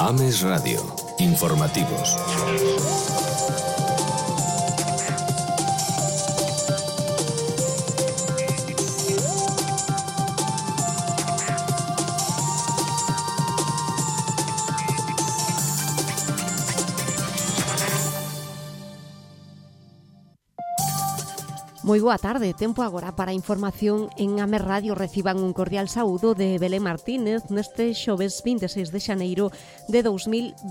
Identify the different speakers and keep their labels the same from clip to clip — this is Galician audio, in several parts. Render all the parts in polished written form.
Speaker 1: Ames Radio. Informativos.
Speaker 2: Moi boa tarde, tempo agora para a información en Ames Radio. Reciban un cordial saúdo de Belén Martínez neste xoves 26 de xaneiro de 2023.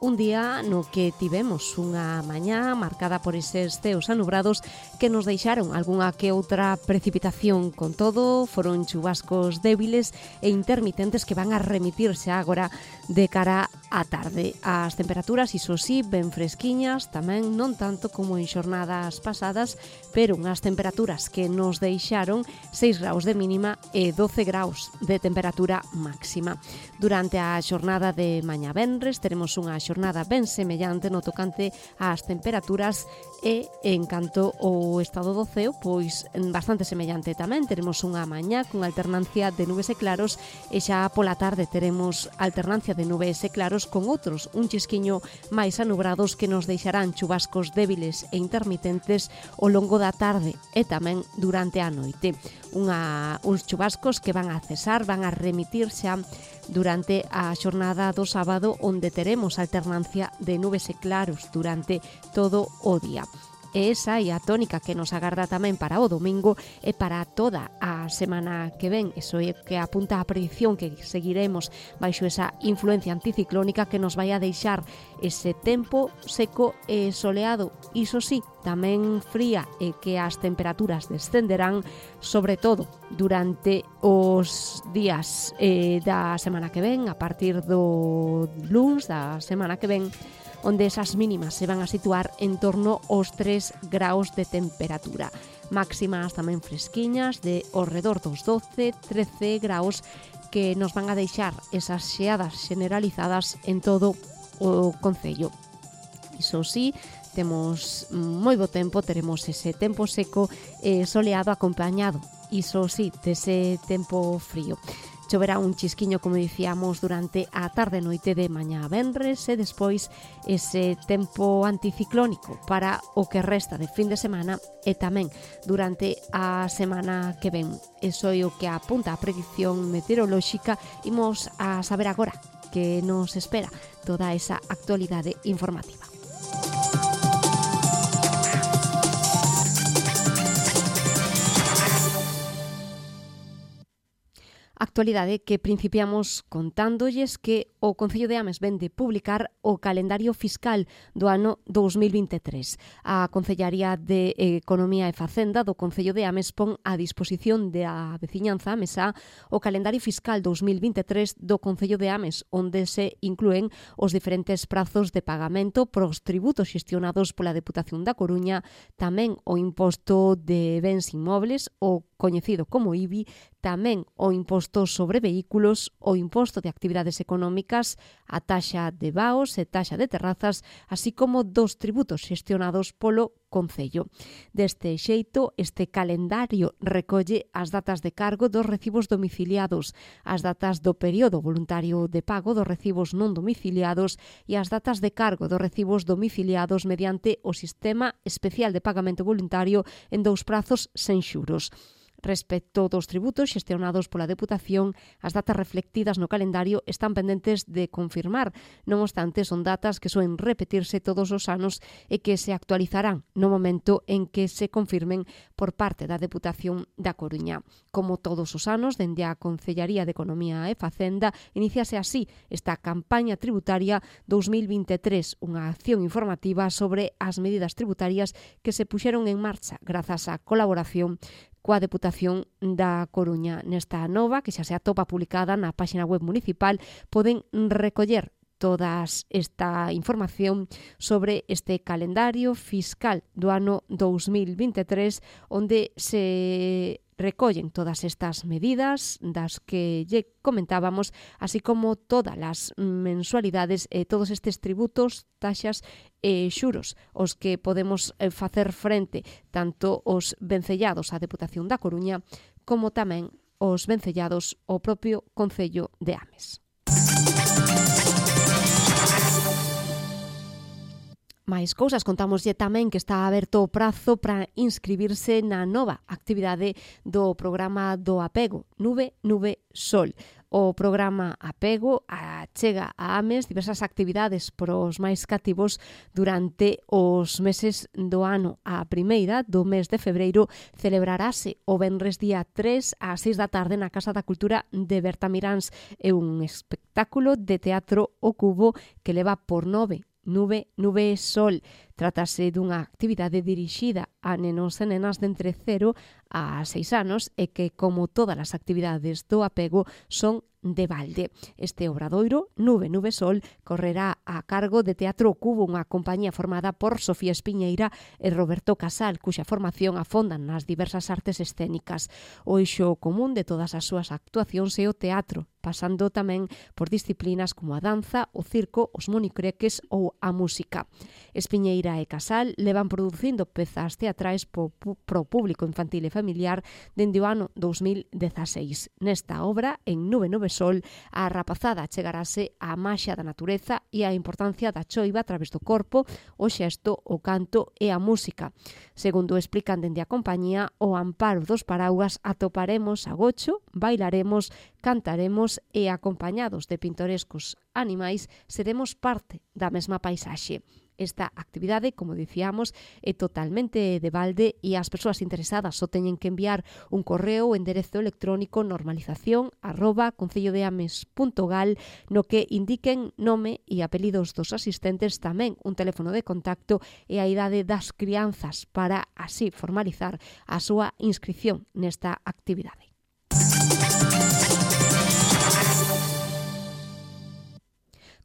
Speaker 2: Un día no que tivemos unha mañá marcada por eses ceos anubrados que nos deixaron algunha que outra precipitación. Con todo, foron chubascos débiles e intermitentes que van a remitirse agora de cara á tarde. As temperaturas, iso sí, ben fresquiñas, tamén non tanto como en xornadas pasadas, pero unhas temperaturas que nos deixaron 6 graus de mínima e 12 graus de temperatura máxima. Durante a xornada de mañá venres teremos unha xornada ben semellante no tocante ás temperaturas e en canto ao estado do ceo, pois bastante semellante tamén. Teremos unha mañá con alternancia de nubes e claros e xa pola tarde teremos alternancia de nubes e claros con outros un chisquiño máis anubrados que nos deixarán chubascos débiles e intermitentes ao longo da tarde e tamén durante a noite. Uns chubascos que van a cesar, van a remitir xa durante a xornada do sábado, onde teremos alternancia de nubes e claros durante todo o día. E esa é a tónica que nos agarda tamén para o domingo e para toda a semana que ven. Eso é que apunta a predición que seguiremos baixo esa influencia anticiclónica que nos vai a deixar ese tempo seco e soleado. Iso sí, tamén fría e que as temperaturas descenderán, sobre todo durante os días da semana que ven, a partir do luns da semana que ven, onde esas mínimas se van a situar en torno aos 3 graus de temperatura. Máximas tamén fresquiñas de ao redor dos 12-13 graus que nos van a deixar esas xeadas generalizadas en todo o concello. Iso sí, temos moi bo tempo, teremos ese tempo seco e soleado acompañado, iso sí, dese tempo frío. Choverá un chisquiño, como dicíamos, durante a tarde e noite de mañá a venres e despois ese tempo anticiclónico para o que resta de fin de semana e tamén durante a semana que ven. Eso é o que apunta a predicción meteorolóxica. Imos a saber agora que nos espera toda esa actualidade informativa. Actualidade que principiamos contándolles que o Concello de Ames ven de publicar o calendario fiscal do ano 2023. A Concellaría de Economía e Facenda do Concello de Ames pon a disposición da veciñanza amesá o calendario fiscal 2023 do Concello de Ames, onde se inclúen os diferentes prazos de pagamento pros tributos xestionados pola Deputación da Coruña, tamén o imposto de bens inmobles, o coñecido como IBI, tamén o imposto sobre vehículos, o imposto de actividades económicas, a taxa de vaos e taxa de terrazas, así como dos tributos xestionados polo Concello. Deste xeito, este calendario recolle as datas de cargo dos recibos domiciliados, as datas do período voluntario de pago dos recibos non domiciliados e as datas de cargo dos recibos domiciliados mediante o Sistema Especial de Pagamento Voluntario en 2 prazos sen xuros. Respecto dos tributos xestionados pola Deputación, as datas reflectidas no calendario están pendentes de confirmar. Non obstante, son datas que soen repetirse todos os anos e que se actualizarán no momento en que se confirmen por parte da Deputación da Coruña. Como todos os anos, dende a Concellaría de Economía e Facenda, iníciase así esta campaña tributaria 2023, unha acción informativa sobre as medidas tributarias que se puxeron en marcha grazas á colaboración coa Deputación da Coruña. Nesta nova, que xa se atopa publicada na páxina web municipal, poden recoller toda esta información sobre este calendario fiscal do ano 2023, onde se recollen todas estas medidas das que lle comentábamos, así como todas as mensualidades e todos estes tributos, taxas e xuros os que podemos facer frente tanto os vencellados á Deputación da Coruña como tamén os vencellados ao propio Concello de Ames. Máis cousas, contámoslle tamén que está aberto o prazo para inscribirse na nova actividade do programa do apego, Nube Sol. O programa Apego achega a AMES diversas actividades pros máis cativos durante os meses do ano. A primeira, do mes de febreiro, celebrarase o venres día 3 ás 6 da tarde na Casa da Cultura de Bertamiráns. É un espectáculo de teatro ao cubo que leva por nove Nube Sol. Trátase dunha actividade dirixida a nenos e nenas de entre 0 a 6 anos e que, como todas as actividades do apego, son de balde. Este obradoiro, Nube Sol, correrá a cargo de Teatro Cubo, unha compañía formada por Sofía Espiñeira e Roberto Casal, cuxa formación afondan nas diversas artes escénicas. O eixo común de todas as súas actuacións é o teatro, pasando tamén por disciplinas como a danza, o circo, os monicreques ou a música. Espiñeira e Casal levan producindo pezas teatrais pro público infantil e familiar dende o ano 2016. Nesta obra, en Nube Sol, a rapazada chegarase á maxia da natureza e a importancia da choiva a través do corpo, o xesto, o canto e a música. Segundo explican dende a compañía, ao amparo dos paraugas atoparemos a gocho, bailaremos, cantaremos e acompañados de pintorescos animais seremos parte da mesma paisaxe. Esta actividade, como dicíamos, é totalmente de balde e as persoas interesadas só teñen que enviar un correo o enderezo electrónico normalización@concellodeames.gal no que indiquen nome e apelidos dos asistentes, tamén un teléfono de contacto e a idade das crianzas para así formalizar a súa inscripción nesta actividade.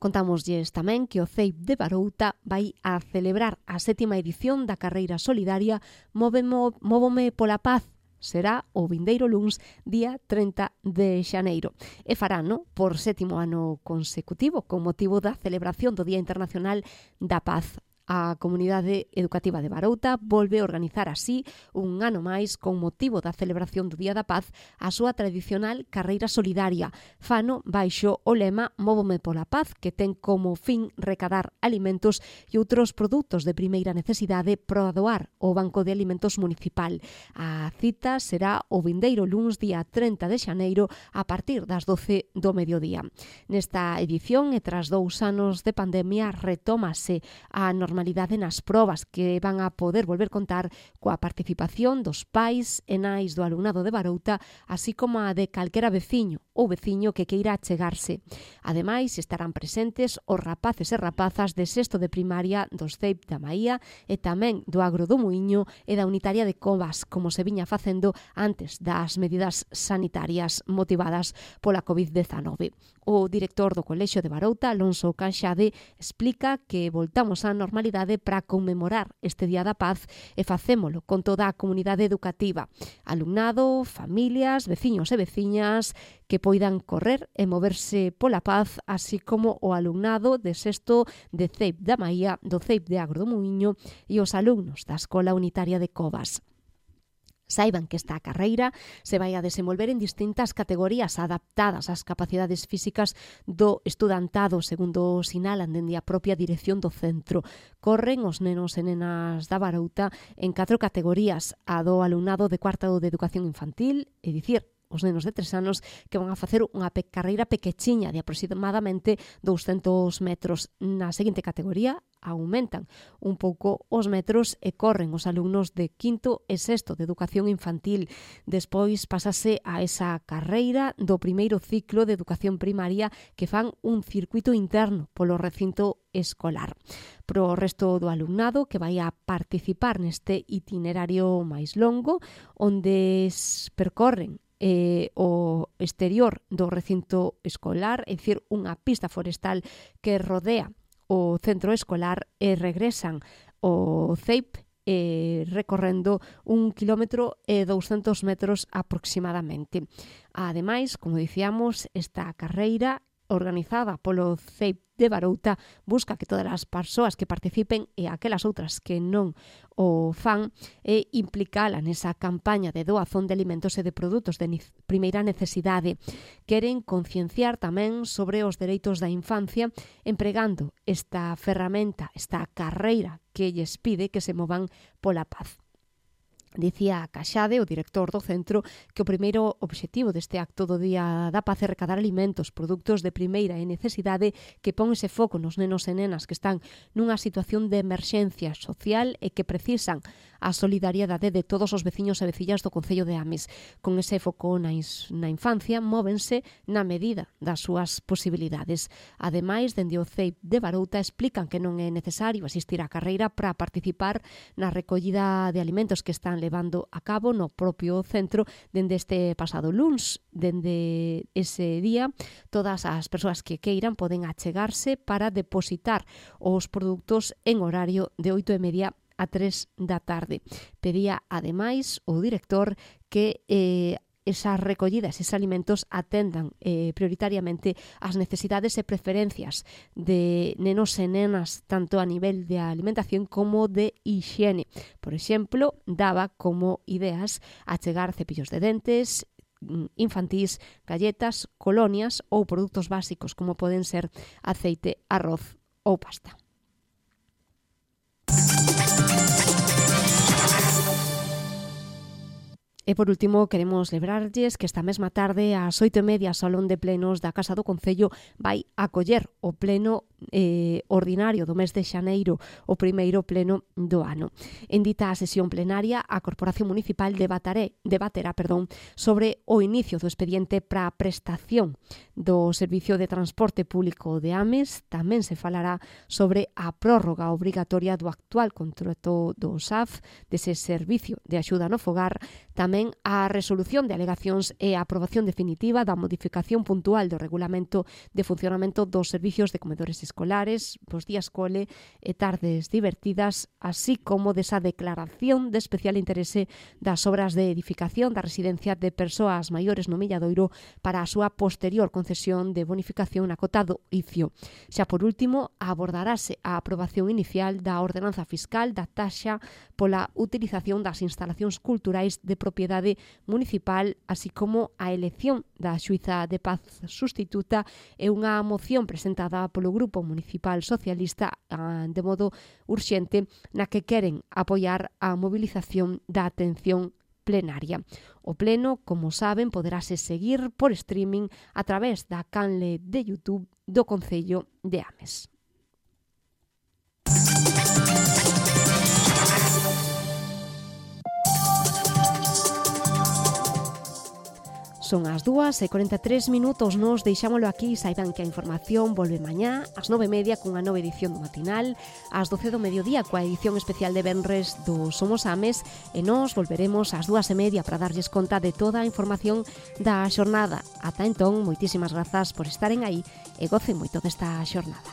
Speaker 2: Contámoslles tamén que o CEIP de Barouta vai a celebrar a 7ª edición da carreira solidaria Móvome pola Paz. Será o vindeiro luns, día 30 de xaneiro. E farano por 7º ano consecutivo con motivo da celebración do Día Internacional da Paz. A Comunidade Educativa de Barouta volve a organizar así un ano máis con motivo da celebración do Día da Paz a súa tradicional carreira solidaria. Fano baixo o lema Móvome pola Paz, que ten como fin recadar alimentos e outros produtos de primeira necesidade para doar ao Banco de Alimentos Municipal. A cita será o vindeiro luns día 30 de xaneiro a partir das 12 do mediodía. Nesta edición e tras 2 anos de pandemia retómase a normalidade nas probas que van a poder volver contar coa participación dos pais e nais do alumnado de Barouta, así como a de calquera veciño ou veciño que queira achegarse. Ademais, estarán presentes os rapaces e rapazas de sexto de primaria dos CEIP da Maía e tamén do Agro do Muiño e da Unitaria de Covas, como se viña facendo antes das medidas sanitarias motivadas pola COVID-19. O director do Colexio de Barouta, Alonso Canxade, explica que voltamos á normalidade para conmemorar este Día da Paz e facémolo con toda a comunidade educativa, alumnado, familias, veciños e veciñas que poidan correr e moverse pola paz, así como o alumnado de sexto de CEIP da Maía, do CEIP de Agro do Muiño e os alumnos da Escola Unitaria de Covas. Saiban que esta carreira se vai a desenvolver en distintas categorías adaptadas ás capacidades físicas do estudantado, segundo sinalan dende a propia dirección do centro. Corren os nenos e nenas da Barouta en 4 categorías: a do alumnado de cuarto de educación infantil, é dicir, os nenos de 3 anos que van a facer unha carreira pequechiña de aproximadamente 200 metros. Na seguinte categoría aumentan un pouco os metros e corren os alumnos de quinto e sexto de educación infantil. Despois pasase a esa carreira do primeiro ciclo de educación primaria que fan un circuito interno polo recinto escolar. Pro resto do alumnado que vai a participar neste itinerario máis longo, onde percorren o exterior do recinto escolar, é dicir, unha pista forestal que rodea o centro escolar e regresan ao CEIP recorrendo 1 km e 200 metros aproximadamente. Ademais, como dicíamos, esta carreira organizada polo CEIP de Barouta, busca que todas as persoas que participen e aquelas outras que non o fan e implicala nesa campaña de doazón de alimentos e de produtos de primeira necesidade. Queren concienciar tamén sobre os dereitos da infancia empregando esta ferramenta, esta carreira que lles pide que se movan pola paz. Dicía Caxade, o director do centro, que o primeiro obxectivo deste acto do Día da Paz é recadar alimentos, produtos de primeira necesidade que pon ese foco nos nenos e nenas que están nunha situación de emerxencia social e que precisan a solidariedade de todos os veciños e vecillas do Concello de Ames. Con ese foco na infancia, móvense na medida das súas posibilidades. Ademais, dende o CEIP de Barouta explican que non é necesario asistir á carreira para participar na recollida de alimentos que están levando a cabo no propio centro dende este pasado luns. Dende ese día, todas as persoas que queiran poden achegarse para depositar os produtos en horario de 8:30 a 3 da tarde. Pedía, ademais, o director que esas recollidas, esos alimentos atendan prioritariamente as necesidades e preferencias de nenos e nenas, tanto a nivel de alimentación como de higiene. Por exemplo, daba como ideas achegar cepillos de dentes infantís, galletas, colonias ou produtos básicos como poden ser aceite, arroz ou pasta. E por último, queremos lembrarlles que esta mesma tarde, ás 8:30, o Salón de Plenos da Casa do Concello vai acoller o pleno ordinario do mes de xaneiro, o primeiro pleno do ano. En dita sesión plenaria, a Corporación Municipal debaterá sobre o inicio do expediente para a prestación do Servicio de Transporte Público de Ames. Tamén se falará sobre a prórroga obrigatoria do actual contrato do SAF, dese Servicio de Axuda no Fogar, tamén a resolución de alegacións e a aprobación definitiva da modificación puntual do regulamento de funcionamento dos servicios de comedores escolares, os días cole e tardes divertidas, así como desa declaración de especial interese das obras de edificación da residencia de persoas maiores no Milladoiro para a súa posterior concesión de bonificación na cota do ICIO. Xa por último, abordarase a aprobación inicial da ordenanza fiscal da taxa pola utilización das instalacións culturais de propiedade municipal, así como a elección da xuíza de paz sustituta e unha moción presentada polo Grupo Municipal Socialista de modo urxente na que queren apoiar a movilización da atención plenaria. O pleno, como saben, poderase seguir por streaming a través da canle de YouTube do Concello de Ames. Son as 2:43, nos deixámolo aquí. Saiban que a información volve mañá ás 9:30 cunha nova edición do matinal, ás 12 do mediodía coa edición especial de venres do Somos Ames, e nos volveremos ás 2:30 para darlles conta de toda a información da xornada. Ata entón, moitísimas grazas por estaren aí e gocen moito desta xornada.